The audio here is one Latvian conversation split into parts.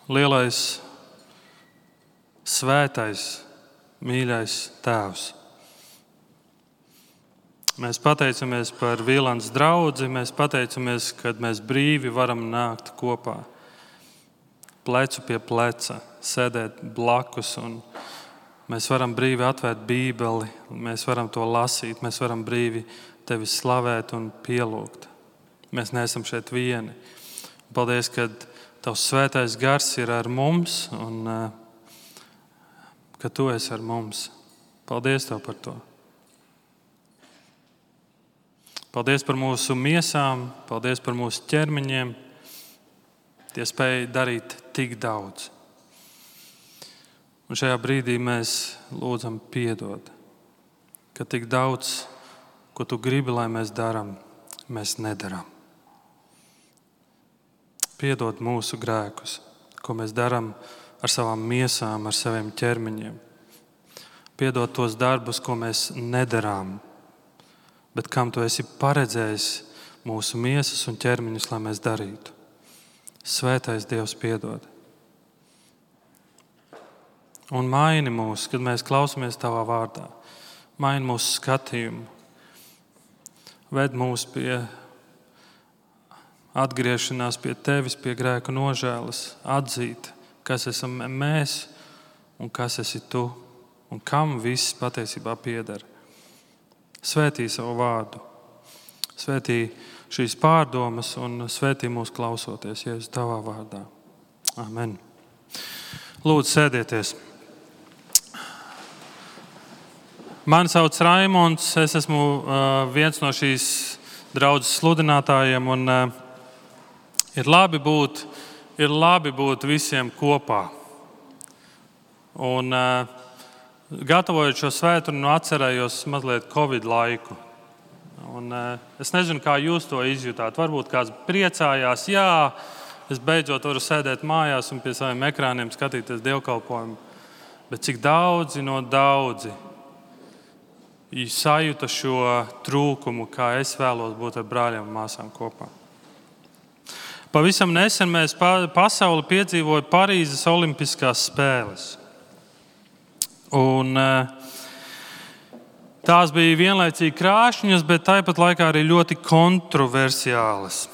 lielais, svētais, mīļais Tēvs. Mēs pateicamies par Vīlandes draudzi, mēs pateicamies, kad mēs brīvi varam nākt kopā, plecu pie pleca, sēdēt blakus, un mēs varam brīvi atvērt Bībeli, mēs varam to lasīt, mēs varam brīvi Tevi slavēt un pielūgt. Mēs neesam šeit vieni. Paldies, ka Tavs svētais gars ir ar mums un ka Tu esi ar mums. Paldies Tev par to. Paldies par mūsu miesām, paldies par mūsu ķermeņiem. Tie spēj darīt tik daudz. Un šajā brīdī mēs lūdzam piedod, ka tik daudz, ko Tu gribi, lai mēs darām, mēs nedarām. Piedod mūsu grēkus, ko mēs darām ar savām miesām, ar saviem ķermeņiem. Piedod tos darbus, ko mēs nedarām, bet kam Tu esi paredzējis mūsu miesas un ķermeņus, lai mēs darītu. Svētais Dievs, piedod. Un maini mūs, kad mēs klausamies Tavā vārdā. Maini mūsu skatījumu. Ved mūs pie atgriešanās pie Tevis, pie grēku nožēlas, atzīt, kas esam mēs un kas esi Tu un kam viss patiesībā pieder. Svētī savu vārdu, svētī šīs pārdomas un svētī mūs klausoties, Jēzus Tavā vārdā. Amen. Lūdzu, sēdieties. Mani sauc Raimonds, es esmu viens no šīs draudzes sludinātājiem un ir labi būt visiem kopā. Un gatavojot šo svētdienu, atcerējos mazliet Covid laiku. Un es nezinu, kā jūs to izjutāt. Varbūt kāds priecājās, jā, es beidzot varu sēdēt mājās un pie saviem ekrāniem skatīties dievkalpojumu. Bet cik daudzi sajūta šo trūkumu, kā es vēlos būt ar brāļiem un māsām kopā. Pavisam nesen pasauli piedzīvoja Parīzes Olimpiskās spēles. Un tās bija vienlaicīgi krāšņas, bet tāpat laikā arī ļoti kontroversiālas.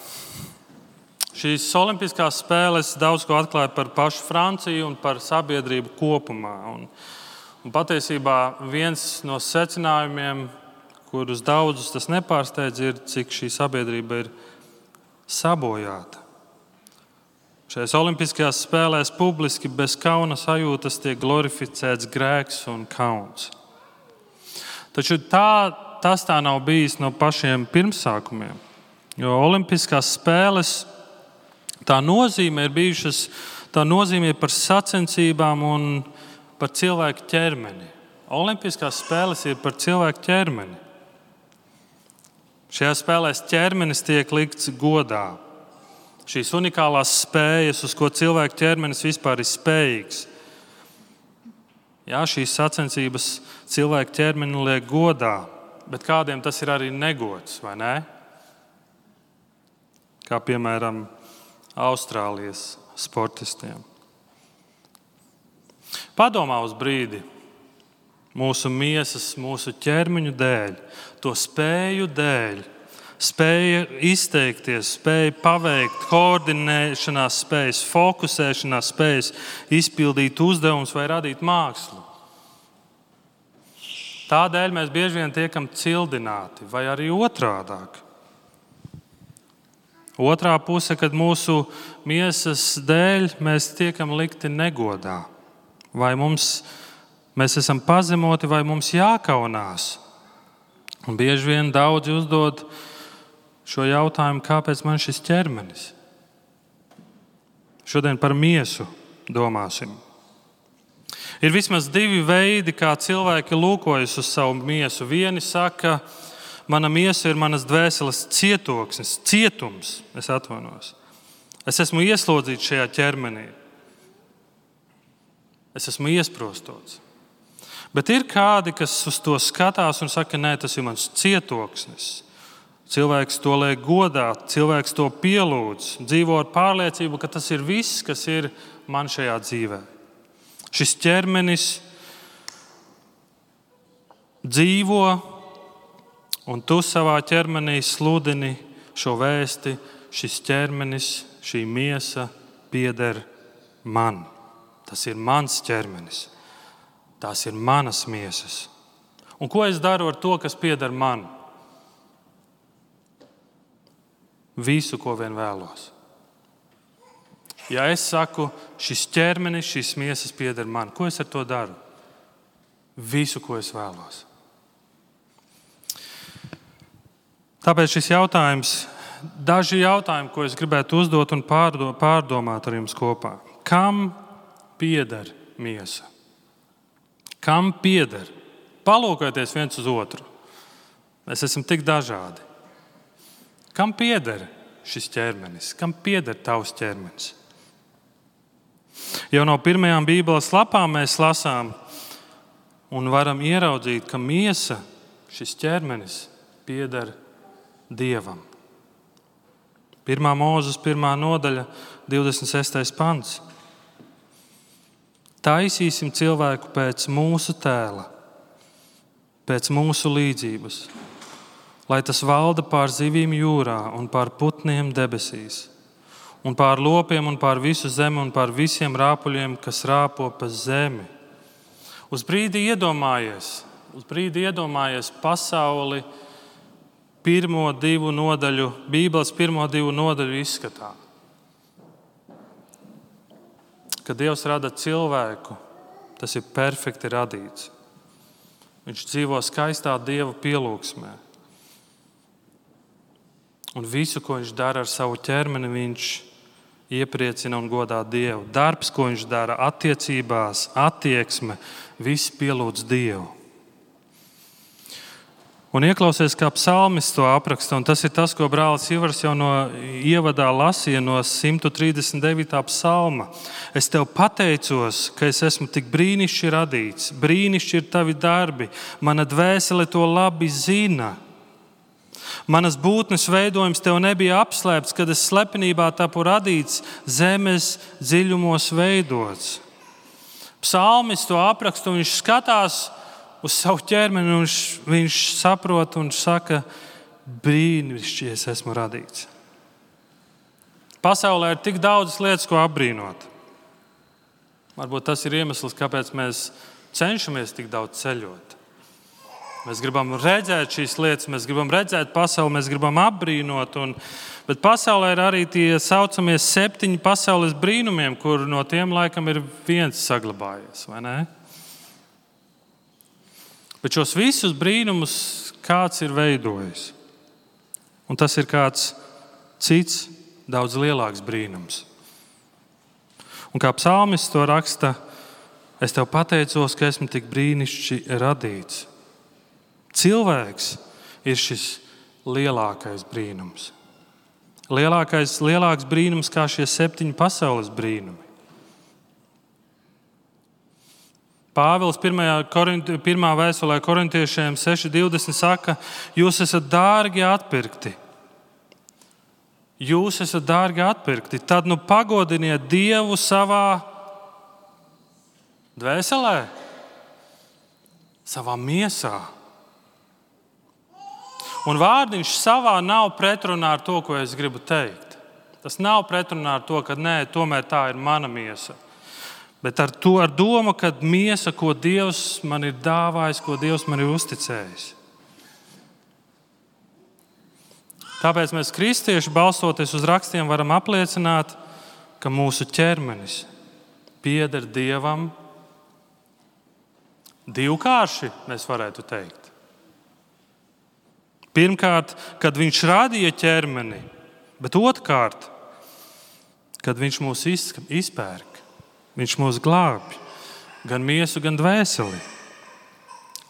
Šīs Olimpiskās spēles daudz ko atklāja par pašu Franciju un par sabiedrību kopumā. Un patiesībā viens no secinājumiem, kurus daudzus tas nepārsteidz, ir, cik šī sabiedrība ir sabojāta. Šajās Olimpiskajās spēlēs publiski bez kauna sajūtas tiek glorificēts grēks un kauns. Taču tas tā nav bijis no pašiem pirmsākumiem. Jo Olimpiskās spēles, tā nozīme ir par sacensībām un par cilvēku ķermeni. Olimpiskās spēles ir par cilvēku ķermeni. Šajās spēlēs ķermenis tiek likts godā. Šīs unikālās spējas, uz ko cilvēka ķermenis vispār ir spējīgs. Jā, šīs sacensības cilvēka ķermeni liek godā, bet kādiem tas ir arī negods, vai ne? Kā piemēram Austrālijas sportistiem. Padomā uz brīdi mūsu miesas, mūsu ķermeņu dēļ, to spēju dēļ, spēja izteikties, spēja paveikt, koordinēšanās spējas, fokusēšanās spējas, izpildīt uzdevumus vai radīt mākslu. Tādēļ mēs bieži vien tiekam cildināti, vai arī otrādāk. Otrā puse, kad mūsu miesas dēļ mēs tiekam likti negodā. Vai mēs esam pazemoti, vai mums jākaunās. Un bieži vien daudzi uzdod šo jautājumu, kāpēc man šis ķermenis? Šodien par miesu domāsim. Ir vismaz divi veidi, kā cilvēki lūkojas uz savu miesu. Vieni saka, mana miesa ir manas dvēseles cietums. Es atvainojos. Es esmu ieslodzīts šajā ķermenī. Es esmu iesprostots. Bet ir kādi, kas uz to skatās un saka, nē, tas ir mans cietoksnis. Cilvēks to liek godāt, cilvēks to pielūdz, dzīvo ar pārliecību, ka tas ir viss, kas ir man šajā dzīvē. Šis ķermenis dzīvo, un tu savā ķermenī sludini šo vēsti. Šis ķermenis, šī miesa pieder man. Tas ir mans ķermenis. Tās ir manas miesas. Un ko es daru ar to, kas pieder man? Visu, ko vien vēlos. Ja es saku, šis ķermenis, šīs miesas pieder man, ko es ar to daru? Visu, ko es vēlos. Tāpēc šis jautājums, daži jautājumi, ko es gribētu uzdot un pārdomāt ar jums kopā. Kam pieder miesa? Kam pieder? Palūkojieties viens uz otru. Mēs esam tik dažādi. Kam pieder šis ķermenis? Kam pieder tavs ķermenis? Jau no pirmajām Bībeles lapām mēs lasām un varam ieraudzīt, ka miesa, šis ķermenis, pieder Dievam. 1. Mūzes 1. nodaļa, 26. pants. Taisīsim cilvēku pēc mūsu tēla, pēc mūsu līdzības, lai tas valda pār zivīm jūrā un pār putniem debesīs, un pār lopiem un pār visu zemi un pār visiem rāpuļiem, kas rāpo pa zemi. Uz brīdi iedomājies pasauli Bībeles pirmo divu nodaļu izskatā. Kad Dievs rada cilvēku, tas ir perfekti radīts. Viņš dzīvo skaistā Dieva pielūgsmē. Un visu, ko viņš dara ar savu ķermeni, viņš iepriecina un godā Dievu. Darbs, ko viņš dara attiecībās, attieksme, viss pielūdz Dievu. Un ieklausies, kā psalmis to apraksta, un tas ir tas, ko brālis Ivars jau no ievadā lasīja no 139. psalma. Es tev pateicos, ka es esmu tik brīnišķīgi radīts, brīnišķīgi ir tavi darbi, mana dvēsele to labi zina. Manas būtnes veidojums tev nebija apslēpts, kad es slepenībā tapu radīts, zemes dziļumos veidots. Psalmis to apraksta, un viņš skatās uz savu ķermeni, un viņš saprot un saka, brīnišķīgi es esmu radīts. Pasaulē ir tik daudz lietas, ko apbrīnot. Varbūt tas ir iemesls, kāpēc mēs cenšamies tik daudz ceļot. Mēs gribam redzēt šīs lietas, mēs gribam redzēt pasauli, mēs gribam apbrīnot. Bet pasaulē ir arī tie saucamie 7 pasaules brīnumiem, kur no tiem laikam ir viens saglabājies, vai ne? Bet šos visus brīnumus kāds ir veidojis. Un tas ir kāds cits, daudz lielāks brīnums. Un kā psalmists to raksta, es tev pateicos, ka esmu tik brīnišķīgi radīts. Cilvēks ir šis lielākais brīnums. Lielāks brīnums kā šie 7 pasaules brīnumi. Pāvils 1. vēstulē korintiešiem 6.20 saka, jūs esat dārgi atpirkti. Jūs esat dārgi atpirkti. Tad nu pagodiniet Dievu savā dvēselē, savā miesā. Un vārdiņš savā nav pretrunā ar to, ko es gribu teikt. Tas nav pretrunā ar to, ka nē, tomēr tā ir mana miesa. Bet ar domu, ka miesa, ko Dievs man ir dāvājis, ko Dievs man ir uzticējis. Tāpēc mēs, kristieši, balstoties uz rakstiem, varam apliecināt, ka mūsu ķermenis pieder Dievam divkārši, mēs varētu teikt. Pirmkārt, kad viņš radīja ķermeni, bet otrkārt, kad viņš mūs izpērk. Viņš mūs glābj, gan miesu, gan dvēseli.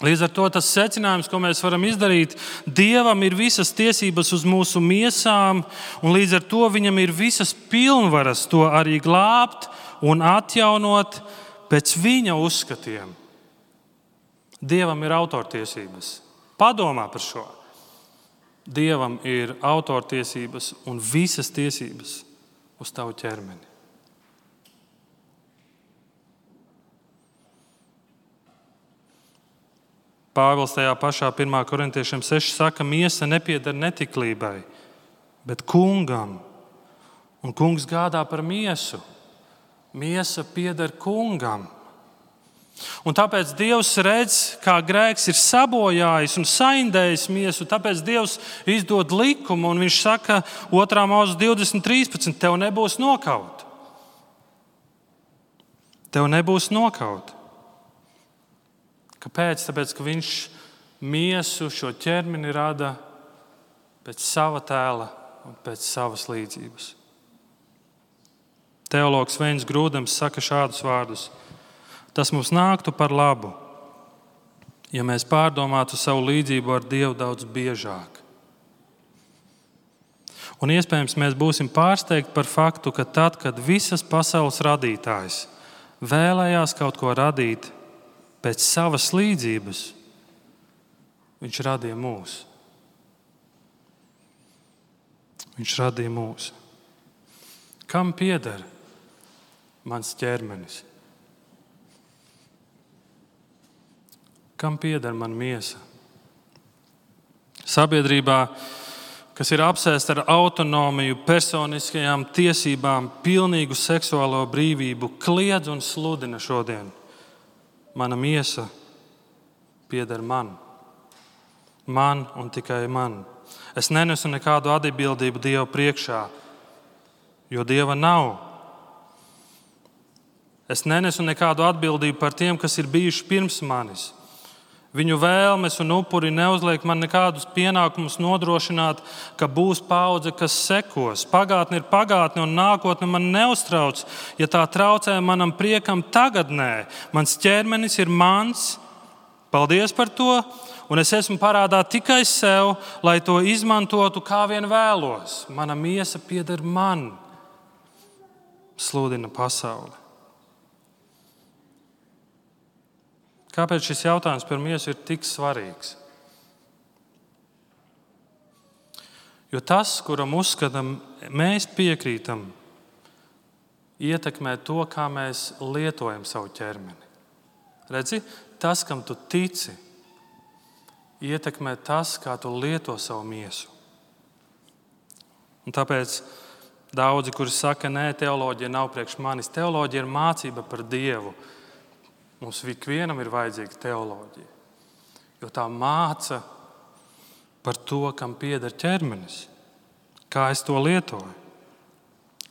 Līdz ar to tas secinājums, ko mēs varam izdarīt, Dievam ir visas tiesības uz mūsu miesām, un līdz ar to viņam ir visas pilnvaras to arī glābt un atjaunot pēc viņa uzskatiem. Dievam ir autortiesības. Padomā par šo. Dievam ir autortiesības un visas tiesības uz tavu ķermeni. Pāvils tajā pašā 1. korintiešiem 6 saka, miesa nepieder netiklībai, bet kungam. Un kungs gādā par miesu. Miesa pieder kungam. Un tāpēc Dievs redz, kā grēks ir sabojājis un saindējis miesu. Tāpēc Dievs izdod likumu un viņš saka 2. Mūzes 20:13, tev nebūs nokaut. Tev nebūs nokaut. Kāpēc? Tāpēc, ka viņš miesu, šo ķermeni rada pēc sava tēla un pēc savas līdzības. Teologs Veins Grūdams saka šādus vārdus. Tas mums nāktu par labu, ja mēs pārdomātu savu līdzību ar Dievu daudz biežāk. Un iespējams mēs būsim pārsteigti par faktu, ka tad, kad visas pasaules radītājs vēlējās kaut ko radīt pēc savas līdzības, viņš radīja mūs. Viņš radīja mūs. Kam pieder mans ķermenis? Kam pieder man miesa? Sabiedrībā, kas ir apsēsta ar autonomiju, personiskajām tiesībām, pilnīgu seksuālo brīvību, kliedz un sludina šodien. Mana miesa pieder man. Man un tikai man. Es nenesu nekādu atbildību Dieva priekšā, jo Dieva nav. Es nenesu nekādu atbildību par tiem, kas ir bijuši pirms manis. Viņu vēlmes un upuri neuzliek man nekādus pienākumus nodrošināt, ka būs paudze, kas sekos. Pagātne ir pagātne un nākotne man neuztrauc, ja tā traucē manam priekam tagadnē. Mans ķermenis ir mans, paldies par to, un es esmu parādā tikai sev, lai to izmantotu kā vien vēlos. Mana miesa pieder man, sludina pasaule. Kāpēc šis jautājums par miesu ir tik svarīgs? Jo tas, kuram uzskatām, mēs piekrītam, ietekmē to, kā mēs lietojam savu ķermeni. Redzi, tas, kam tu tici, ietekmē tas, kā tu lieto savu miesu. Un tāpēc daudzi, kuri saka, nē, teoloģija nav priekš manis. Teoloģija ir mācība par Dievu. Mums ikvienam ir vajadzīga teoloģija, jo tā māca par to, kam pieder ķermenis, kā es to lietoju.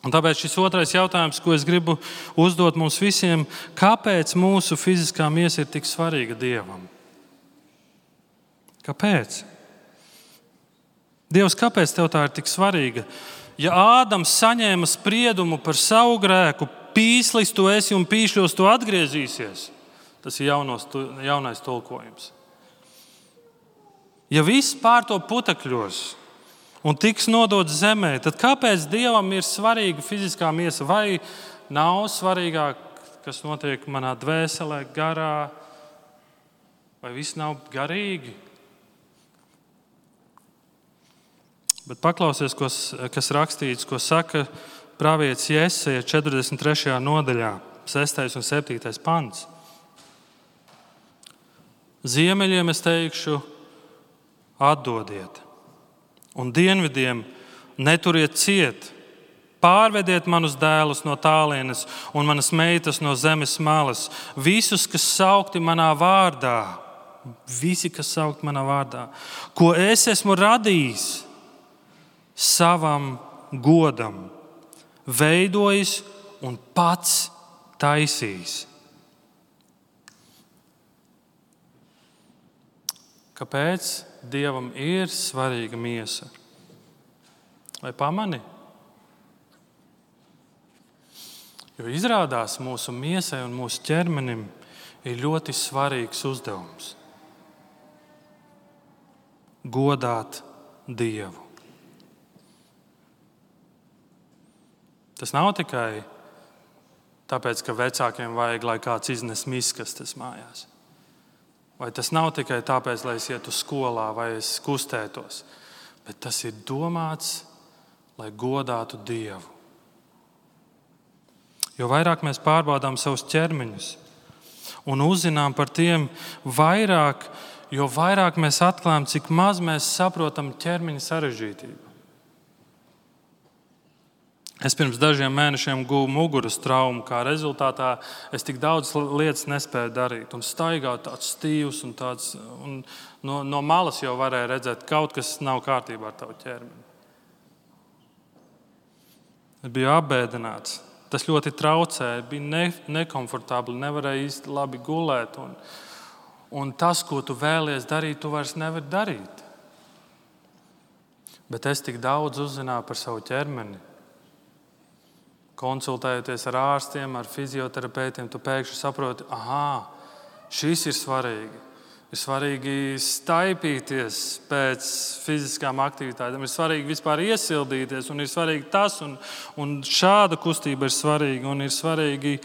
Un tāpēc šis otrais jautājums, ko es gribu uzdot mums visiem, kāpēc mūsu fiziskā miesa ir tik svarīga Dievam? Kāpēc? Dievs, kāpēc tev tā ir tik svarīga? Ja Ādams saņēma spriedumu par savu grēku, pīslis tu esi un pīšļos tu atgriezīsies. Tas ir jaunais tulkojums. Ja viss pārtop putekļos un tiks nodots zemē, tad kāpēc Dievam ir svarīga fiziskā miesa? Vai nav svarīgāk, kas notiek manā dvēselē, garā? Vai viss nav garīgi? Bet paklausies, kas rakstīts, ko saka pravietis Jesaja 43. nodaļā, 6. un 7. pants. Ziemeļiem es teikšu, atdodiet, un dienvidiem neturiet ciet. Pārvediet manus dēlus no tālienes un manas meitas no zemes malas. Visus, kas saukti manā vārdā, ko es esmu radījis savam godam, veidojis un pats taisījis. Kāpēc Dievam ir svarīga miesa? Vai pamani? Jo izrādās mūsu miesai un mūsu ķermenim ir ļoti svarīgs uzdevums – godāt Dievu. Tas nav tikai tāpēc, ka vecākiem vajag, lai kāds iznes miskastes mājās. Vai tas nav tikai tāpēc, lai es ietu skolā vai es kustētos. bet tas ir domāts, lai godātu Dievu. Jo vairāk mēs pārbaudām savus ķermeņus un uzzinām par tiem vairāk, jo vairāk mēs atklājam, cik maz mēs saprotam ķermeņa sarežģītību. Es pirms dažiem mēnešiem guvu muguras traumu, kā rezultātā es tik daudz lietas nespēju darīt. Un staigāju tāds stīvs un tāds, un no malas jau varēja redzēt, ka kaut kas nav kārtībā ar tavu ķermeni. Es biju apbēdināts. Tas ļoti traucēja, bija nekomfortabli, nevarēja īsti labi gulēt. Un tas, ko tu vēlies darīt, tu vairs nevari darīt. Bet es tik daudz uzzināju par savu ķermeni. Konsultējoties ar ārstiem, ar fizioterapeitiem, tu pēkšņi saproti, šis ir svarīgi. Ir svarīgi staipīties pēc fiziskām aktivitātēm, ir svarīgi vispār iesildīties, un ir svarīgi tas, un šāda kustība ir svarīga, un ir svarīgi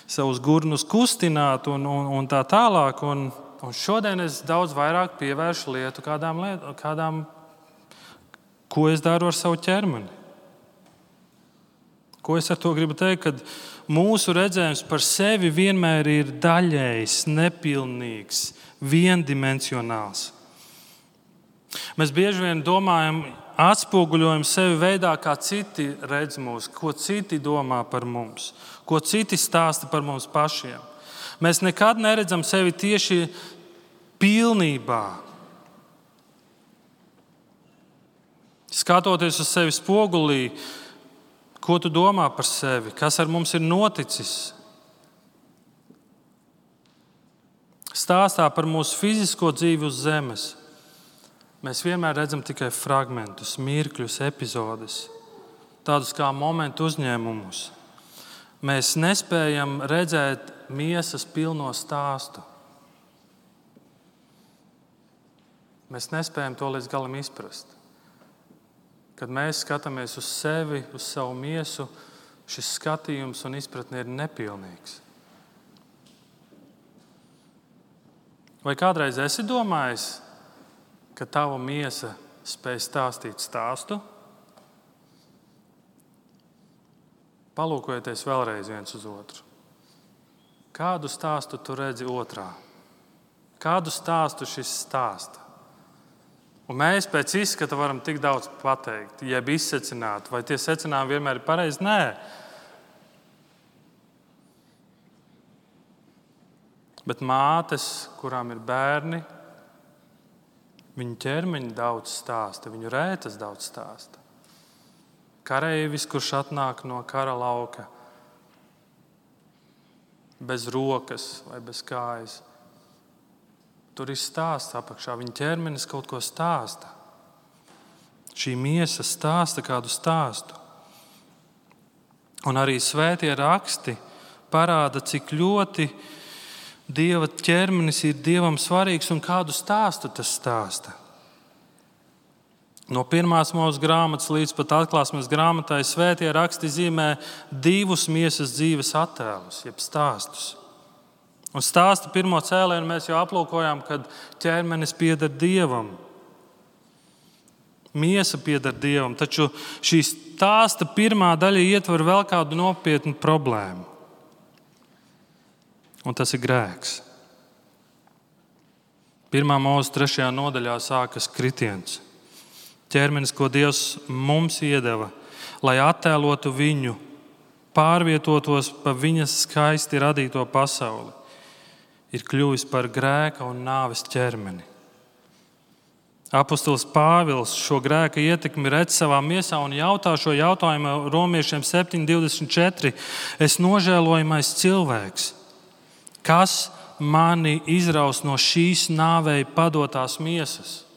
savus gurnus kustināt, un tā tālāk. Un šodien es daudz vairāk pievēršu lietu kādām, ko es daru ar savu ķermeni. Ko es ar to gribu teikt? Kad mūsu redzējums par sevi vienmēr ir daļējs, nepilnīgs, viendimensionāls. Mēs bieži vien domājam, atspoguļojam sevi veidā, kā citi redz mūs, ko citi domā par mums, ko citi stāsta par mums pašiem. Mēs nekad neredzam sevi tieši pilnībā. Skatoties uz sevi spogulī, ko tu domā par sevi? Kas ar mums ir noticis? Stāstā par mūsu fizisko dzīvi uz zemes. Mēs vienmēr redzam tikai fragmentus, mirkļus, epizodes, tādus kā momentu uzņēmumus. Mēs nespējam redzēt miesas pilno stāstu. Mēs nespējam to līdz galam izprast. Kad mēs skatāmies uz sevi, uz savu miesu, šis skatījums un izpratne ir nepilnīgs. Vai kādreiz esi domājis, ka tava miesa spēj stāstīt stāstu? Palūkojieties vēlreiz viens uz otru. Kādu stāstu tu redzi otrā? Kādu stāstu šis stāsta? Un mēs pēc izskata varam tik daudz pateikt, jeb izsecināt, vai tie secinājumi vienmēr ir pareizi? Nē. Bet mātes, kurām ir bērni, viņu ķermeņi daudz stāsta, viņu rētas daudz stāsta. Kareivis, kurš atnāk no kara lauka, bez rokas vai bez kājas. Tur ir stāsts apakšā. Viņa ķermenis kaut ko stāsta. Šī miesa stāsta kādu stāstu. Un arī svētie raksti parāda, cik ļoti Dieva ķermenis ir Dievam svarīgs un kādu stāstu tas stāsta. No 1. Mūzes grāmatas līdz pat Atklāsmes grāmatai svētie raksti zīmē 2 miesas dzīves attēlus, jeb stāstus. Un stāsta pirmo cēlienu mēs jau aplūkojām, kad ķermenis pieder Dievam. Miesa pieder Dievam, taču šī stāsta pirmā daļa ietver vēl kādu nopietnu problēmu. Un tas ir grēks. 1. Mūzes 3. nodaļā sākas kritiens. Ķermenis, ko Dievs mums iedeva, lai attēlotu viņu, pārvietotos pa viņas skaisti radīto pasauli, ir kļuvis par grēka un nāves ķermeni. Apostols Pāvils šo grēka ietekmi redz savā miesā un jautā šo jautājumu Romiešiem 7:24. Es nožēlojamais cilvēks, kas mani izraus no šīs nāvei padotās miesas?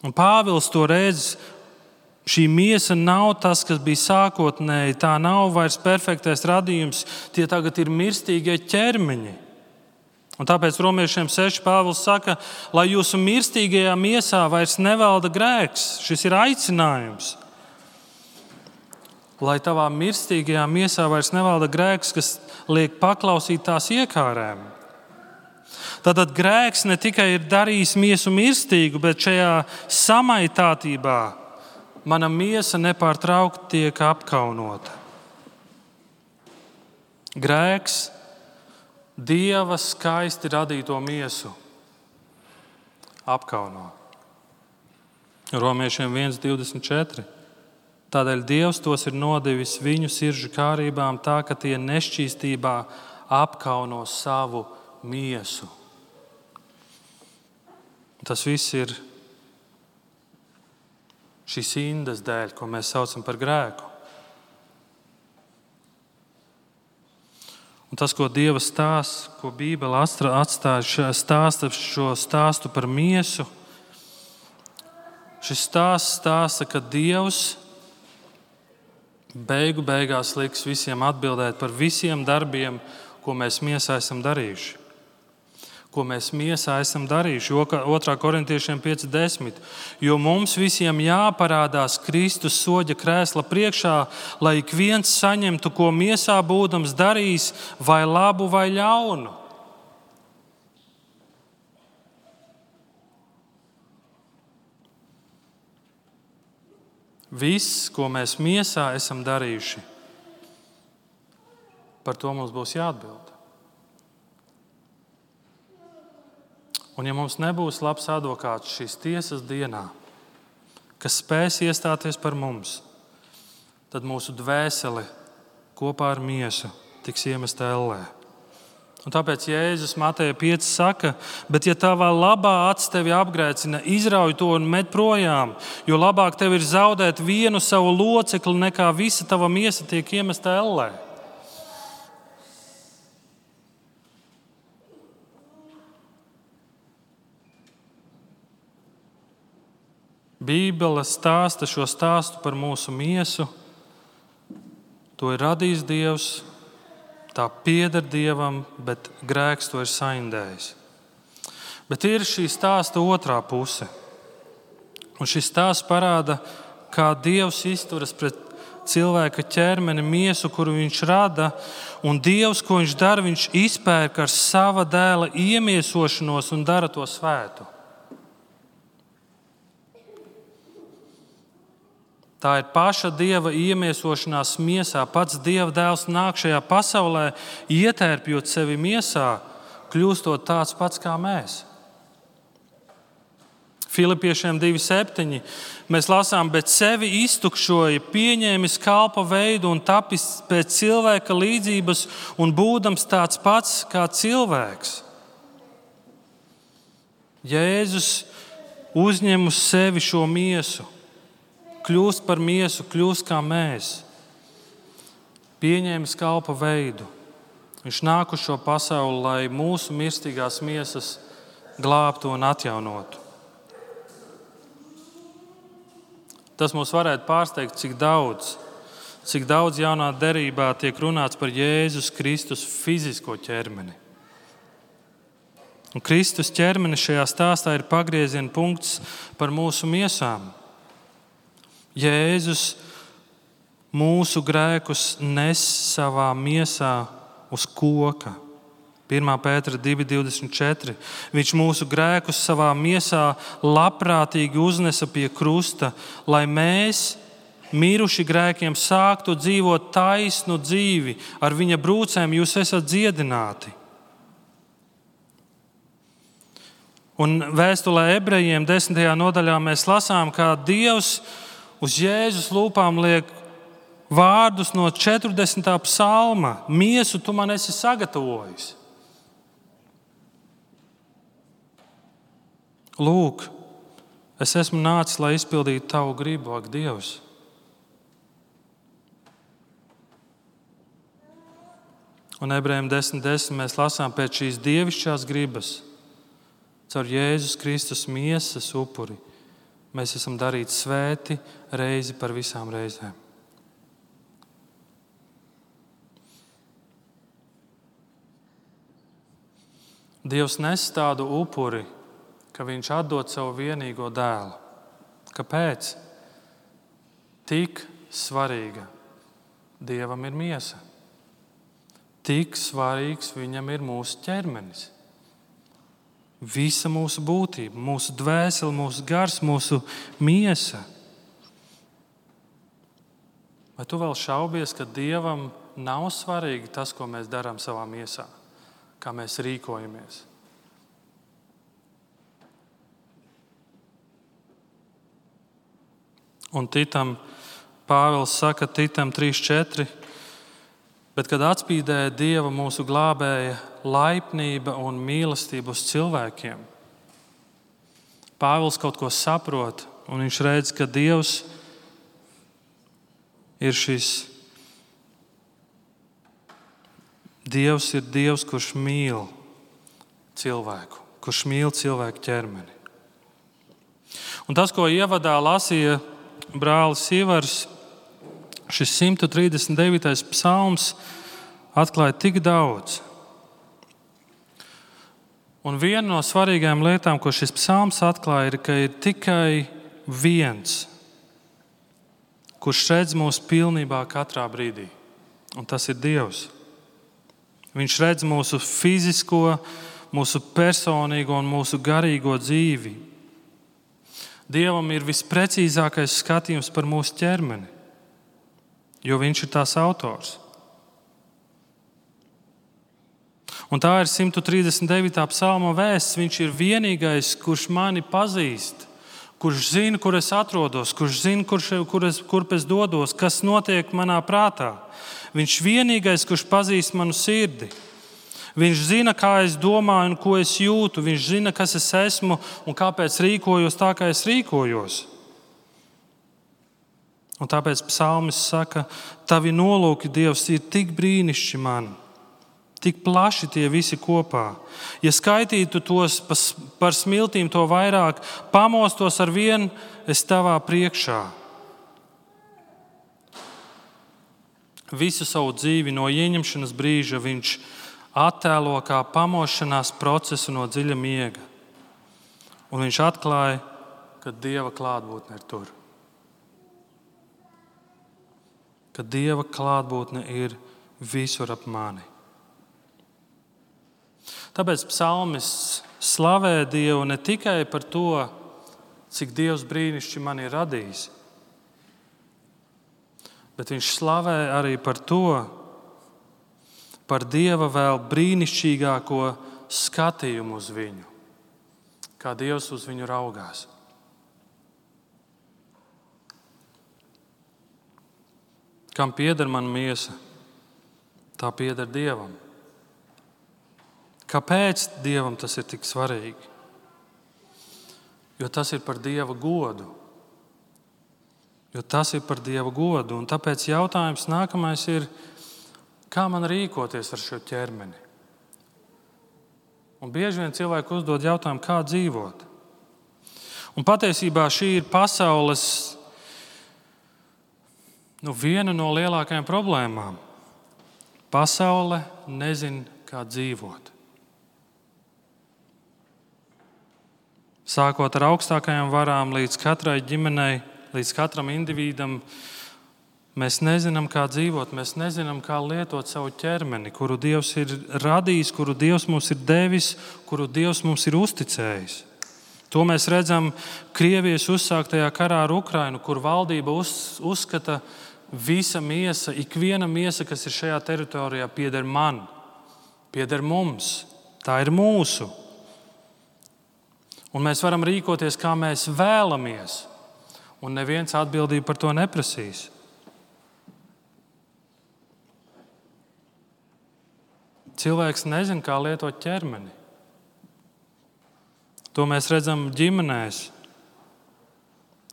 Un Pāvils to redz. Šī miesa nav tas, kas bija sākotnēji. Tā nav vairs perfektais radījums. Tie tagad ir mirstīgie ķermeņi. Un tāpēc Romiešiem 6 Pāvils saka, lai jūsu mirstīgajā miesā vairs nevalda grēks. Šis ir aicinājums. Lai tavā mirstīgajā miesā vairs nevalda grēks, kas liek paklausīt tās iekārēm. Tātad grēks ne tikai ir darījis miesu mirstīgu, bet šajā samaitātībā mana miesa nepārtraukti tiek apkaunota. Grēks Dieva skaisti radīto miesu apkauno. Romiešiem 1:24. Tādēļ Dievs tos ir nodevis viņu sirdžu kārībām tā, ka tie nešķīstībā apkauno savu miesu. Tas viss ir šīs indas dēļ, ko mēs saucam par grēku. Un tas, ko Dieva stāsta, ko Bībele atstāja, stāsta šo stāstu par miesu, šis stāsts stāsta, ka Dievs beigās liks visiem atbildēt par visiem darbiem, ko mēs miesā esam darījuši. Ko mēs miesā esam darījuši. 2. Korintiešiem 5:10. Jo mums visiem jāparādās Kristus soļa krēsla priekšā, lai ik viens saņemtu, ko miesā būdams darījis, vai labu vai ļaunu. Viss, ko mēs miesā esam darījuši, par to mums būs jāatbild. Un ja mums nebūs labs advokāts šīs tiesas dienā, kas spēs iestāties par mums, tad mūsu dvēsele kopā ar miesu tiks iemesta ellē. Un tāpēc Jēzus Mateja 5 saka, bet ja tavā labā acs tevi apgrēcina, izrauj to un met projām, jo labāk tev ir zaudēt vienu savu locekli, nekā visa tava miesa tiek iemesta ellē. Bībele stāsta šo stāstu par mūsu miesu. To ir radījis Dievs. Tā pieder Dievam, bet grēks to ir saindējis. Bet ir šī stāsta otrā puse. Un šis stāsts parāda, kā Dievs izturas pret cilvēka ķermeni, miesu, kuru viņš rada. Un Dievs, ko viņš dara, viņš izpērk ar sava dēla iemiesošanos un dara to svētu. Tā ir paša Dieva iemiesošanās miesā. Pats Dieva dēls nāk šajā pasaulē, ietērpjot sevi miesā, kļūstot tāds pats kā mēs. Filipiešiem 2:7 mēs lasām, bet sevi iztukšoja, pieņēmis kalpa veidu un tapis pēc cilvēka līdzības un būdams tāds pats kā cilvēks. Jēzus uzņem uz sevi šo miesu. Kļūst par miesu, kļūst kā mēs. Pieņēmis kalpa veidu. Viņš nāk uz šo pasauli, lai mūsu mirstīgās miesas glābtu un atjaunotu. Tas mums varētu pārsteigt, cik daudz jaunā derībā tiek runāts par Jēzus Kristus fizisko ķermeni. Un Kristus ķermenis šajā stāstā ir pagrieziena punkts par mūsu miesām. Jēzus mūsu grēkus nes savā miesā uz koka. 1. Pētera 2:24. Viņš mūsu grēkus savā miesā labprātīgi uznesa pie krusta, lai mēs, miruši grēkiem, sāktu dzīvot taisnu dzīvi. Ar viņa brūcēm jūs esat dziedināti. Un vēstulē Ebrejiem 10. nodaļā mēs lasām, kā Dievs uz Jēzus lūpām liek vārdus no 40. psalma. Miesu tu man esi sagatavojis. Lūk, es esmu nācis, lai izpildītu tavu gribu, ak, Dievs. Un Ebrejiem 10:10 mēs lasām pēc šīs dievišķās gribas, caur Jēzus Kristus miesas upuri. Mēs esam darīti svēti reizi par visām reizēm. Dievs nes tādu upuri, ka viņš atdod savu vienīgo dēlu. Kāpēc? Tik svarīga Dievam ir miesa. Tik svarīgs viņam ir mūsu ķermenis. Visa mūsu būtība, mūsu dvēsele, mūsu gars, mūsu miesa. Vai tu vēl šaubies, ka Dievam nav svarīgi tas, ko mēs darām savā miesā, kā mēs rīkojamies? Un Titam, Pāvils saka Titam 3:4, bet kad atspīdēja Dieva mūsu glābēja laipnība un mīlestība uz cilvēkiem, Pāvils kaut ko saprot, un viņš redz, ka Dievs ir Dievs, kurš mīl cilvēku, kurš mīl cilvēku ķermeni. Un tas, ko ievadā lasīja brālis Ivars, šis 139. psalms atklāja tik daudz. Un viena no svarīgām lietām, ko šis psalms atklāja, ir, ka ir tikai viens, kurš redz mūs pilnībā katrā brīdī. Un tas ir Dievs. Viņš redz mūsu fizisko, mūsu personīgo un mūsu garīgo dzīvi. Dievam ir visprecīzākais skatījums par mūsu ķermeni, jo viņš ir tās autors. Un tā ir 139. psalma vēsts. Viņš ir vienīgais, kurš mani pazīst, kurš zina, kur es atrodos, kurš zina, kurp es dodos, kas notiek manā prātā. Viņš vienīgais, kurš pazīst manu sirdi. Viņš zina, kā es domāju un ko es jūtu. Viņš zina, kas es esmu un kāpēc rīkojos tā, kā es rīkojos. Un tāpēc psalmists saka, tavi nolūki, Dievs, ir tik brīnišķīgi man, tik plaši tie visi kopā. Ja skaitītu tos par smiltīm, to vairāk, pamostos ar vienu es tavā priekšā. Visu savu dzīvi no ieņemšanas brīža viņš attēlo kā pamošanās procesu no dziļa miega. Un viņš atklāja, ka Dieva klātbūtne ir tur. Ka Dieva klātbūtne ir visur ap mani. Tāpēc psalmists slavē Dievu ne tikai par to, cik Dievs brīnišķīgi man ir radījis, bet viņš slavē arī par to, par Dieva vēl brīnišķīgāko skatījumu uz viņu, kā Dievs uz viņu raugās. Kam pieder man miesa, tā pieder Dievam. Kāpēc Dievam tas ir tik svarīgi? Jo tas ir par Dieva godu. Un tāpēc jautājums nākamais ir, kā man rīkoties ar šo ķermeni? Un bieži vien cilvēki uzdod jautājumu, kā dzīvot. Un patiesībā šī ir pasaules viena no lielākajām problēmām. Pasaule nezina, kā dzīvot. Sākot ar augstākajām varām līdz katrai ģimenei, līdz katram individam, mēs nezinām, kā dzīvot, mēs nezinām, kā lietot savu ķermeni, kuru Dievs ir radījis, kuru Dievs mums ir devis, kuru Dievs mums ir uzticējis. To mēs redzam Krievijas uzsāktajā karā ar Ukrainu, kur valdība uzskata, visa miesa, ikviena miesa, kas ir šajā teritorijā, pieder man, pieder mums. Tā ir mūsu. Un mēs varam rīkoties, kā mēs vēlamies, un neviens atbildību par to neprasīs. Cilvēks nezina, kā lietot ķermeni. To mēs redzam ģimenēs.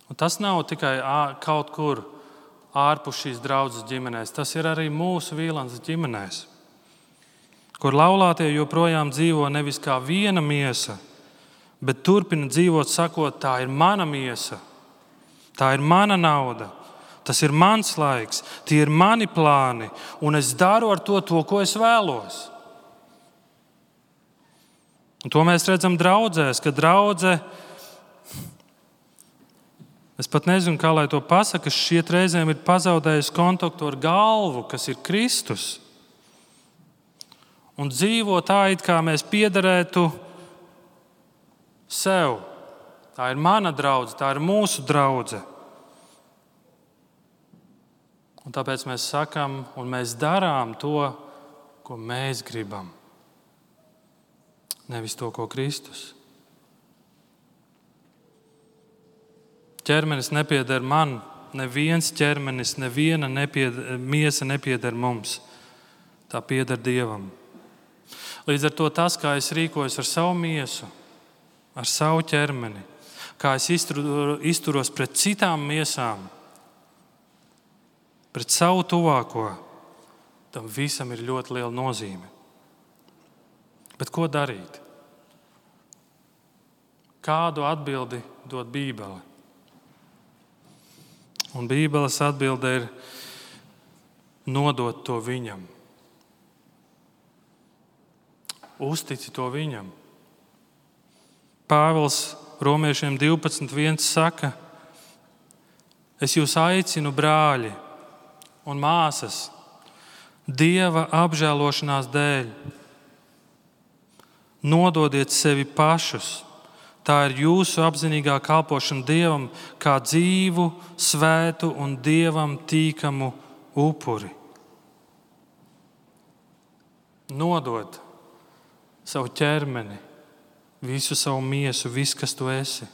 Un tas nav tikai kaut kur ārpus šīs draudzes ģimenēs. Tas ir arī mūsu Vīlandes ģimenēs, kur laulātie joprojām dzīvo nevis kā viena miesa, bet turpina dzīvot sakot, tā ir mana miesa, tā ir mana nauda, tas ir mans laiks, tie ir mani plāni, un es daru ar to, ko es vēlos. Un to mēs redzam draudzēs, ka draudze, es pat nezinu, kā lai to pasaka, šiet reizēm ir pazaudējusi kontaktu ar galvu, kas ir Kristus. Un dzīvo tā, it kā mēs piederētu sev. Tā ir mana draudze, tā ir mūsu draudze. Un tāpēc mēs sakam un mēs darām to, ko mēs gribam. Nevis to, ko Kristus. Ķermenis nepieder man, neviens ķermenis, neviena miesa nepieder mums. Tā pieder Dievam. Līdz ar to tas, kā es rīkojos ar savu miesu, ar savu ķermeni, kā es izturos pret citām miesām, pret savu tuvāko, tam visam ir ļoti liela nozīme. Bet ko darīt? Kādu atbildi dod Bībele? Un Bībeles atbilde ir nodot to viņam. Uztici to viņam. Pāvils Romiešiem 12.1 saka: Es jūs aicinu, brāļi un māsas, Dieva apžēlošanās dēļ, nododiet sevi pašus. Tā ir jūsu apzinīgā kalpošana Dievam kā dzīvu, svētu un Dievam tīkamu upuri. Nodod savu ķermeni, visu savu miesu, visu, kas tu esi.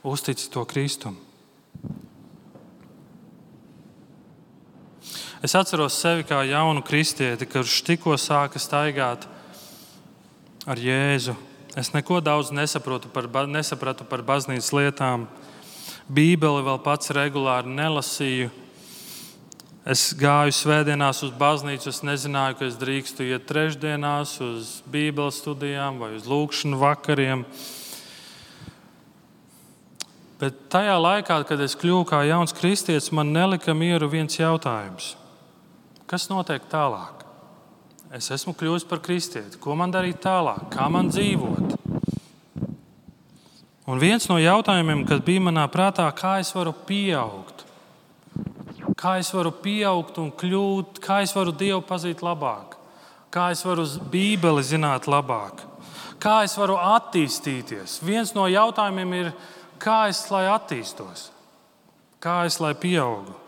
Uztici to Kristum. Es atceros sevi kā jaunu kristieti, kurš tikko sāka staigāt ar Jēzu. Es neko daudz nesapratu par baznīcas lietām. Bībeli vēl pats regulāri nelasīju. Es gāju svētdienās uz baznīcu, es nezināju, ka es drīkstu iet trešdienās uz Bībeles studijām vai uz lūkšanu vakariem. Bet tajā laikā, kad es kļuvu kā jauns kristietis, man nelika mieru viens jautājums. Kas notiek tālāk? Es esmu kļuvis par kristieti. Ko man darīt tālāk? Kā man dzīvot? Un viens no jautājumiem, kas bija manā prātā, kā es varu pieaugt? Kā es varu pieaugt un kļūt? Kā es varu Dievu pazīt labāk? Kā es varu Bībeli zināt labāk? Kā es varu attīstīties? Viens no jautājumiem ir, kā es lai attīstos? Kā es lai pieaugu?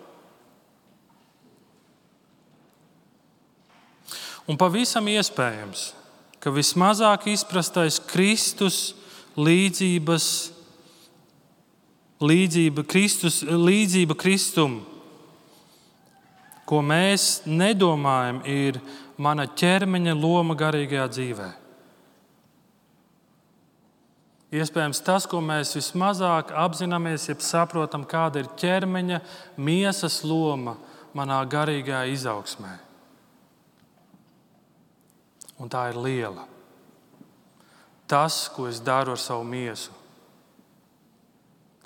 Un pavisam iespējams, ka vismazāk izprastais Kristus līdzība Kristum, ko mēs nedomājam, ir mana ķermeņa loma garīgajā dzīvē. Iespējams, tas, ko mēs vismazāk apzināmies, jeb saprotam, kāda ir ķermeņa, miesas loma manā garīgajā izaugsmē. Un tā ir liela. Tas, ko es daru ar savu miesu,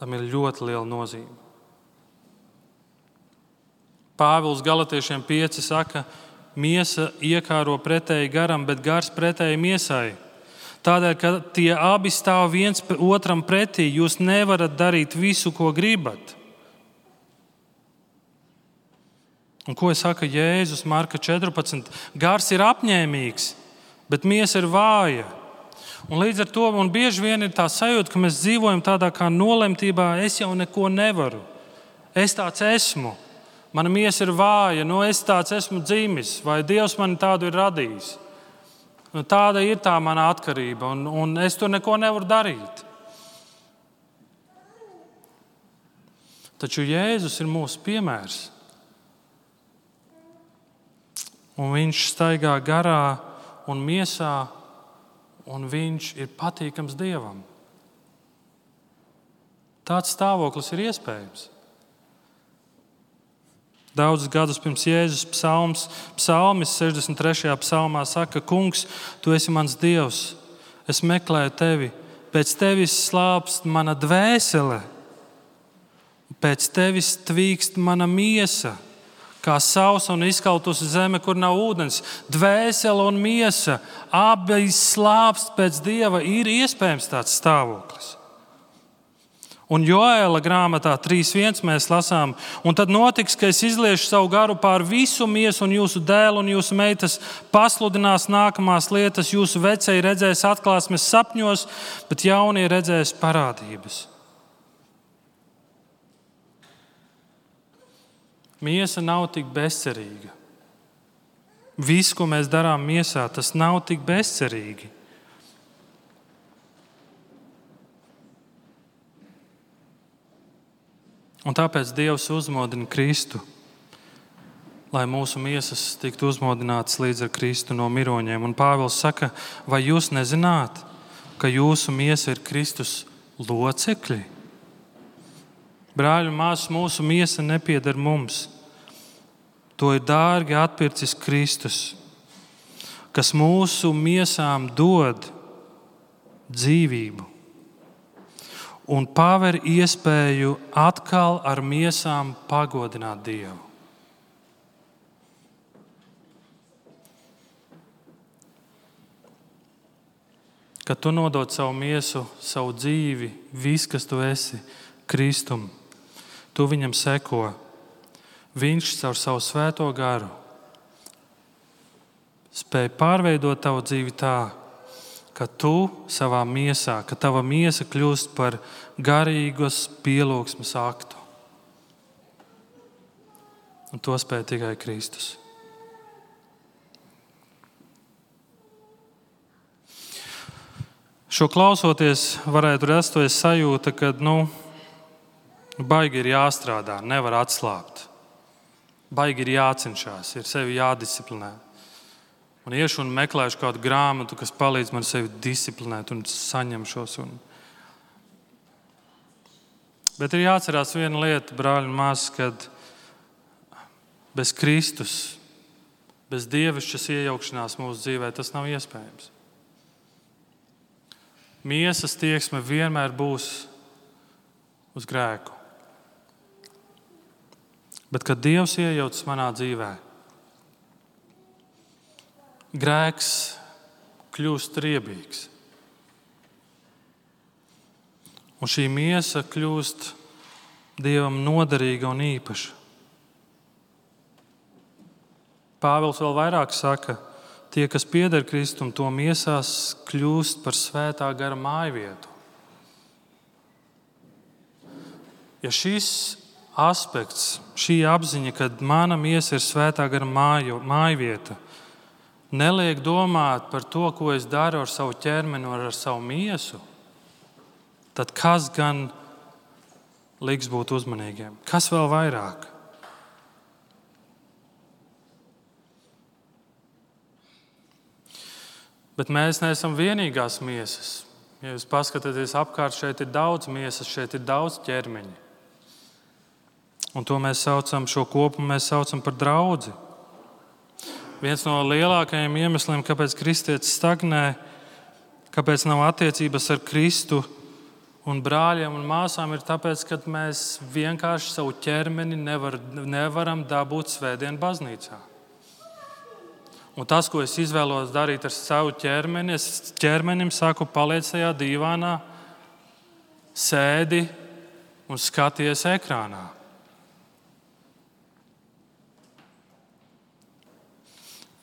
tam ir ļoti liela nozīme. Pāvils Galatiešiem 5 saka, miesa iekāro pretēji garam, bet gars pretēji miesai. Tādēļ, ka tie abi stāv viens otram pretī, jūs nevarat darīt visu, ko gribat. Un ko saka Jēzus Marka 14? Gars ir apņēmīgs, bet miesa ir vāja. Un līdz ar to man bieži vien ir tā sajūta, ka mēs dzīvojam tādā kā nolemtībā, es jau neko nevaru. Es tāds esmu. Mana miesa ir vāja, es tāds esmu dzimis, vai Dievs mani tādu ir radījis. Tāda ir tā mana atkarība, un es tur neko nevaru darīt. Taču Jēzus ir mūsu piemērs. Un viņš staigā garā un miesā, un viņš ir patīkams Dievam. Tāds stāvoklis ir iespējams. Daudzus gadus pirms Jēzus psalmis 63. psalmā saka, Kungs, tu esi mans Dievs, es meklēju tevi, pēc tevis slāpst mana dvēsele, pēc tevis tvīkst mana miesa, kā sausa un izkautusi zeme, kur nav ūdens. Dvēsele un miesa, abi slāpst pēc Dieva, ir iespējams tāds stāvoklis. Un Joēla grāmatā 3.1 mēs lasām, un tad notiks, ka es izliešu savu garu pār visu miesu, un jūsu dēlu un jūsu meitas pasludinās nākamās lietas. Jūsu vecēji redzēs atklāsmes sapņos, bet jaunie redzēs parādības. Miesa nav tik bezcerīga. Viss, ko mēs darām miesā, tas nav tik bezcerīgi. Un tāpēc Dievs uzmodina Kristu, lai mūsu miesas tiktu uzmodinātas līdz ar Kristu no miroņiem. Un Pāvils saka, vai jūs nezināt, ka jūsu miesa ir Kristus locekļi? Brāļi un māsas, mūsu miesa nepieder mums. To ir dārgi atpircis Kristus, kas mūsu miesām dod dzīvību un paver iespēju atkal ar miesām pagodināt Dievu. Kad tu nodod savu miesu, savu dzīvi, viss, kas tu esi, Kristum, tu viņam seko. Viņš caur savu svēto garu spēj pārveidot tavu dzīvi tā, ka tu savā miesā, ka tava miesa kļūst par garīgos pielūgsmes aktu. Un to spēj tikai Kristus. Šo klausoties, varētu rasties sajūta, ka baigi ir jāstrādā, nevar atslābt. Baigi ir jācenšas, ir sevi jādisciplinē. Un iešu un meklēšu kādu grāmatu, kas palīdz man sevi disciplinēt un saņemšos. Bet ir jāatcerās viena lieta, brāļi un māsas, kad bez Kristus, bez dievišķas iejaukšanās mūsu dzīvē, tas nav iespējams. Miesas tieksme vienmēr būs uz grēku. Bet, kad Dievs iejaucas manā dzīvē, grēks kļūst riebīgs. Un šī miesa kļūst Dievam noderīga un īpaša. Pāvils vēl vairāk saka, tie, kas pieder Kristum, to miesās kļūst par svētā gara mājvietu. Ja šis aspekts, šī apziņa, ka mana miesa ir svētā gara mājvieta, neliek domāt par to, ko es daru ar savu ķermeni un ar savu miesu, tad kas gan liks būt uzmanīgiem? Kas vēl vairāk? Bet mēs neesam vienīgās miesas. Ja jūs paskatāties apkārt, šeit ir daudz miesas, šeit ir daudz ķermeņi. Un to mēs saucam, šo kopumu mēs saucam par draudzi. Viens no lielākajiem iemesliem, kāpēc kristietis stagnē, kāpēc nav attiecības ar Kristu un brāļiem un māsām, ir tāpēc, ka mēs vienkārši savu ķermeni nevaram dabūt svētdien baznīcā. Un tas, ko es izvēlos darīt ar savu ķermeni, es ķermenim saku, paliec tajā dīvānā, sēdi un skaties ekrānā.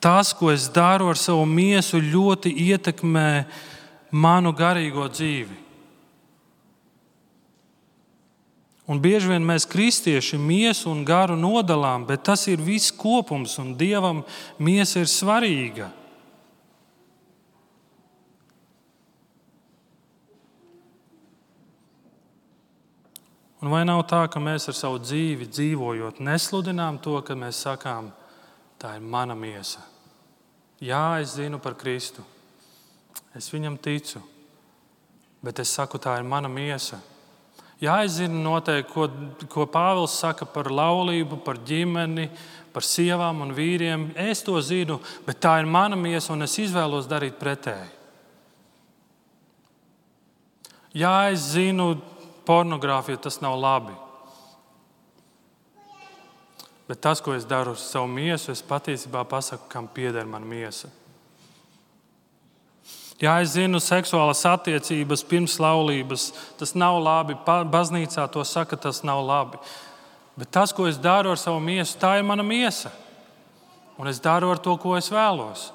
Tas, ko es daru ar savu miesu, ļoti ietekmē manu garīgo dzīvi. Un bieži vien mēs kristieši miesu un garu nodalām, bet tas ir viss kopums, un Dievam miesa ir svarīga. Un vai nav tā, ka mēs ar savu dzīvi dzīvojot nesludinām to, ka mēs sakām, tā ir mana miesa. Jā, es zinu par Kristu. Es viņam ticu. Bet es saku, tā ir mana miesa. Jā, es zinu noteikti, ko Pāvils saka par laulību, par ģimeni, par sievām un vīriem. Es to zinu, bet tā ir mana miesa un es izvēlos darīt pretēji. Jā, es zinu, pornogrāfija tas nav labi. Bet tas, ko es daru ar savu miesu, es patiesībā pasaku, kam pieder mana miesa. Jā, es zinu, seksuālas attiecības pirms laulības, tas nav labi. Baznīcā to saka, tas nav labi. Bet tas, ko es daru ar savu miesu, tā ir mana miesa. Un es daru ar to, ko es vēlos.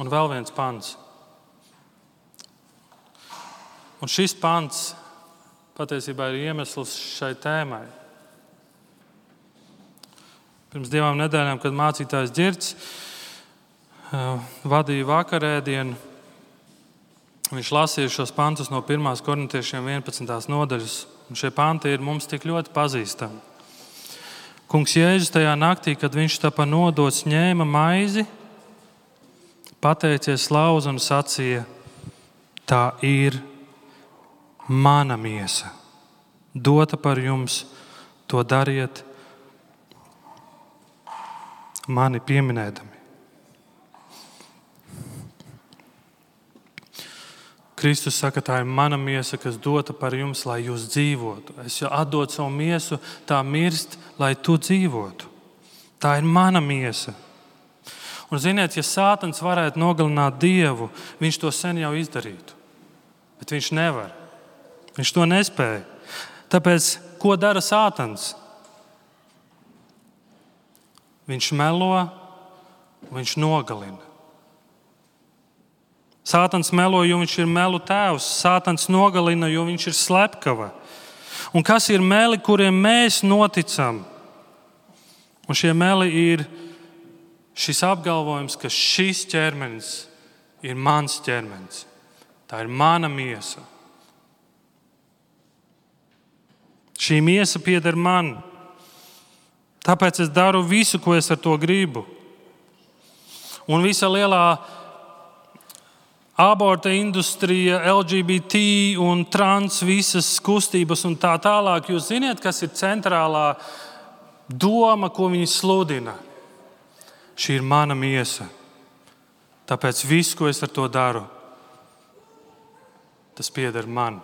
Un vēl viens pants. Un šis pants patiesībā ir iemesls šai tēmai. Pirms 2 nedēļām, kad mācītājs Ģirds vadīja vakarēdienu, viņš lasīja šos pantus no 1. korintiešiem 11. nodaļas. Un šie panti ir mums tik ļoti pazīstami. Kungs Jēzus tajā naktī, kad viņš tapa nodots, ņēma maizi, pateicies, slauza un sacīja: tā ir mana miesa, dota par jums, to dariet mani pieminēdami. Kristus saka, tā ir mana miesa, kas dota par jums, lai jūs dzīvotu. Es jau atdodu savu miesu, tā mirst, lai tu dzīvotu. Tā ir mana miesa. Un ziniet, ja Sātans varētu nogalināt Dievu, viņš to sen jau izdarītu. Bet viņš nevar. Viņš to nespēja. Tāpēc, ko dara Sātans? Viņš melo, viņš nogalina. Sātans melo, jo viņš ir melu tēvs. Sātans nogalina, jo viņš ir slepkava. Un kas ir meli, kuriem mēs noticam? Un šie meli ir šis apgalvojums, ka šis ķermenis ir mans ķermenis. Tā ir mana miesa. Šī miesa pieder man. Tāpēc es daru visu, ko es ar to gribu. Un visa lielā aborta industrija, LGBT un trans visas kustības un tā tālāk. Jūs ziniet, kas ir centrālā doma, ko viņi sludina? Šī ir mana miesa. Tāpēc viss, ko es ar to daru, tas pieder man.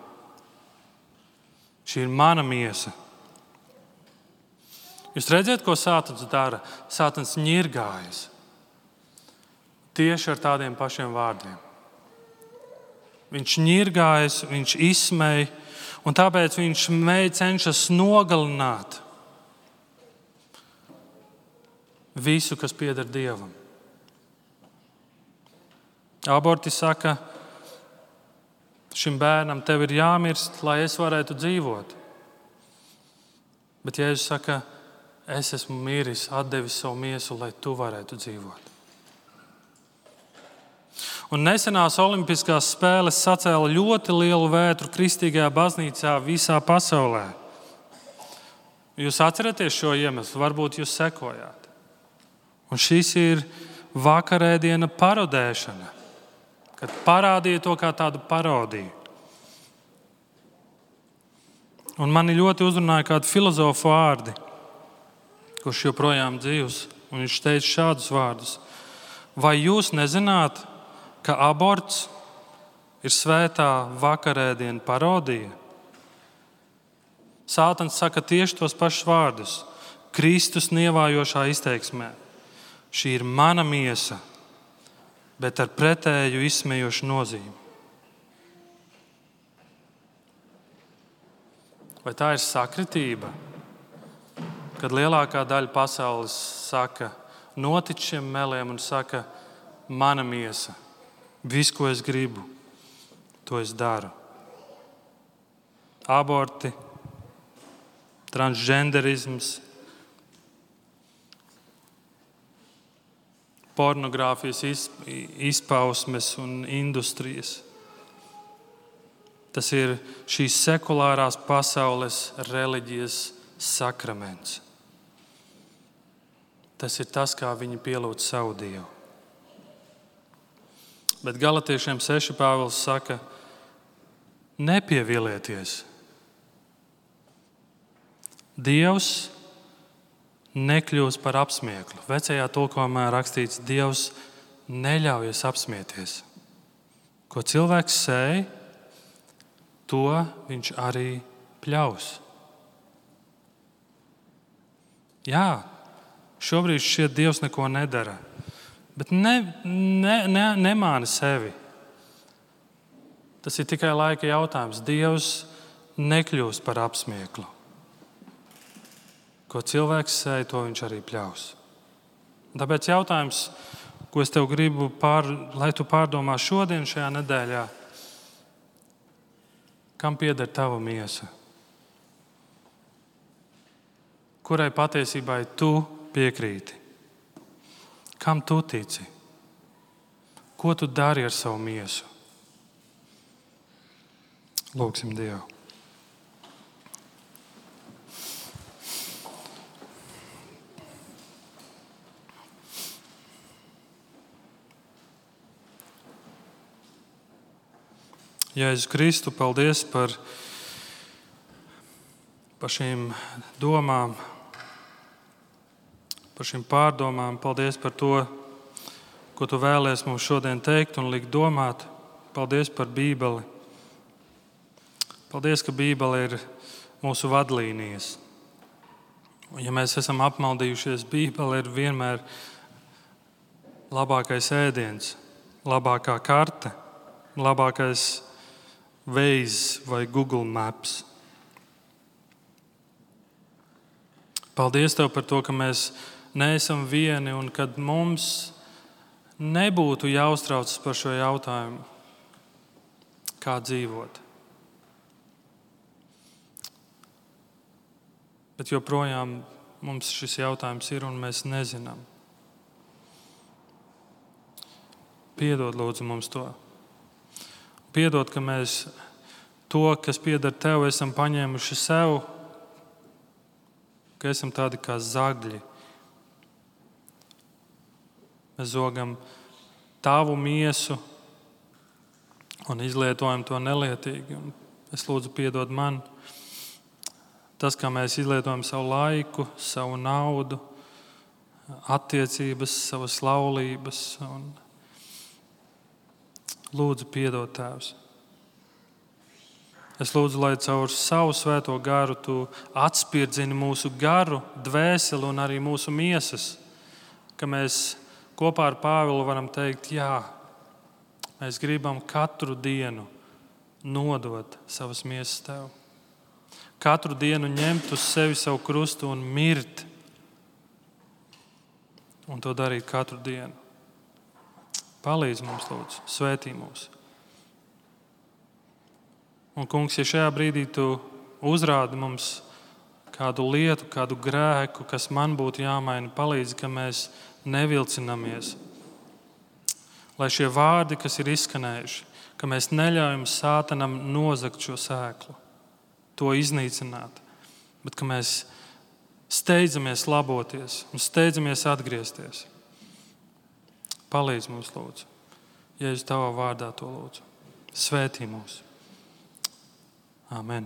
Šī ir mana miesa. Jūs redzat, ko Sātans dara? Sātans ņirgājas tieši ar tādiem pašiem vārdiem. Viņš ņirgājas, viņš izsmej, un tāpēc viņš cenšas nogalināt visu, kas pieder Dievam. Aborti saka, šim bērnam tev ir jāmirst, lai es varētu dzīvot. Bet Jēzus saka, es esmu miris, atdevis savu miesu, lai tu varētu dzīvot. Un nesenās Olimpiskās spēles sacēla ļoti lielu vētru kristīgajā baznīcā visā pasaulē. Jūs atceraties šo iemeslu, varbūt jūs sekojāt. Un šis ir vakarēdiena parodēšana, kad parādīja to kā tādu parodiju. Un mani ļoti uzrunāja kādi filozofu vārdi, kurš joprojām dzīvs, un viņš teica šādus vārdus: vai jūs nezināt, ka aborts ir svētā vakarēdiena parodija? Sātans saka tieši tos pašus vārdus, Kristus nievājošā izteiksmē. Šī ir mana miesa, bet ar pretēju izsmejošu nozīmi. Vai tā ir sakritība, kad lielākā daļa pasaules saka, notic šiem meliem un saka, mana miesa, viss, ko es gribu, to es daru. Aborti, transgenderisms, pornogrāfijas izpausmes un industrijas. Tas ir šīs sekulārās pasaules reliģijas sakraments. Tas ir tas, kā viņi pielūdz savu Dievu. Bet Galatiešiem 6 Pāvils saka, nepievilieties. Dievs nekļūs par apsmieklu. Vecajā tulkojumā rakstīts, Dievs neļaujas apsmieties. Ko cilvēks sēj, to viņš arī pļaus. Jā, šobrīd šķiet, Dievs neko nedara, bet nemāni sevi. Tas ir tikai laika jautājums. Dievs nekļūst par apsmieklu. Ko cilvēks sēj, to viņš arī pļaus. Tāpēc jautājums, ko es tev gribu, lai tu pārdomā šodien šajā nedēļā, kam pieder tava miesa? Kurai patiesībai tu piekrīti? Kam tu tici? Ko tu dari ar savu miesu? Lūgsim Dievu. Jēzus Kristu, paldies par šīm domām, par šīm pārdomām. Paldies par to, ko tu vēlies mums šodien teikt un likt domāt. Paldies par Bībeli. Paldies, ka Bībele ir mūsu vadlīnijas. Un ja mēs esam apmaldījušies, Bībele ir vienmēr labākais ēdiens, labākā karte, labākais Waze vai Google Maps. Paldies Tev par to, ka mēs neesam vieni un kad mums nebūtu jāuztraucas par šo jautājumu, kā dzīvot. Bet joprojām mums šis jautājums ir un mēs nezinām. Piedod lūdzu mums to. Piedod, ka mēs to, kas pieder Tev, esam paņēmuši sev, ka esam tādi kā zagļi. Mēs zogam Tavu miesu un izlietojam to nelietīgi. Un es lūdzu piedod man. Tas, kā mēs izlietojam savu laiku, savu naudu, attiecības, savas laulības. Lūdzu, piedod Tēvs. Es lūdzu, lai caur savu svēto garu Tu atspirdzini mūsu garu, dvēseli un arī mūsu miesas, ka mēs kopā ar Pāvilu varam teikt, jā, mēs gribam katru dienu nodot savas miesas Tev. Katru dienu ņemt uz sevi savu krustu un mirt. Un to darīt katru dienu. Palīdz mums, lūdzu, svētī mūs. Un, Kungs, ja šajā brīdī Tu uzrādi mums kādu lietu, kādu grēku, kas man būtu jāmaina, palīdz, ka mēs nevilcinamies. Lai šie vārdi, kas ir izskanējuši, ka mēs neļaujam Sātanam nozagt šo sēklu, to iznīcināt, bet ka mēs steidzamies laboties un steidzamies atgriezties. Palīdz mums, lūdzu. Jēzus Tavā vārdā to lūdzu. Svētī mūs. Amen.